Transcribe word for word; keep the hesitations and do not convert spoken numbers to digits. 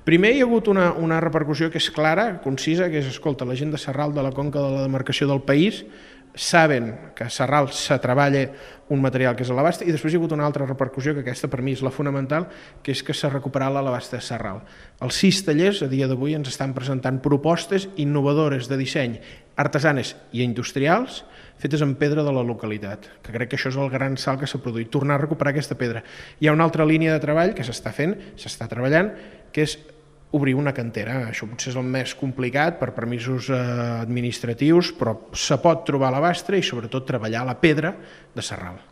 Primer hi ha hagut una, una repercussió que és clara, concisa, que és, escolta, la gent de Sarral, de la conca de la demarcació del país, saben que a Sarral se treballa un material que és a l'abast, i després hi ha hagut una altra repercussió, que aquesta per mi és la fonamental, que és que s'ha recuperat l'abast de Sarral. Els sis tallers a dia d'avui ens estan presentant propostes innovadores de disseny, artesanes i industrials, fetes en pedra de la localitat, que crec que això és el gran salt que s'ha produït, tornar a recuperar aquesta pedra. Hi ha una altra línia de treball que s'està fent, s'està treballant, que és obrir una cantera. Això potser és el més complicat per permisos administratius, però se pot trobar a l'abast i sobretot treballar la pedra de Sarral.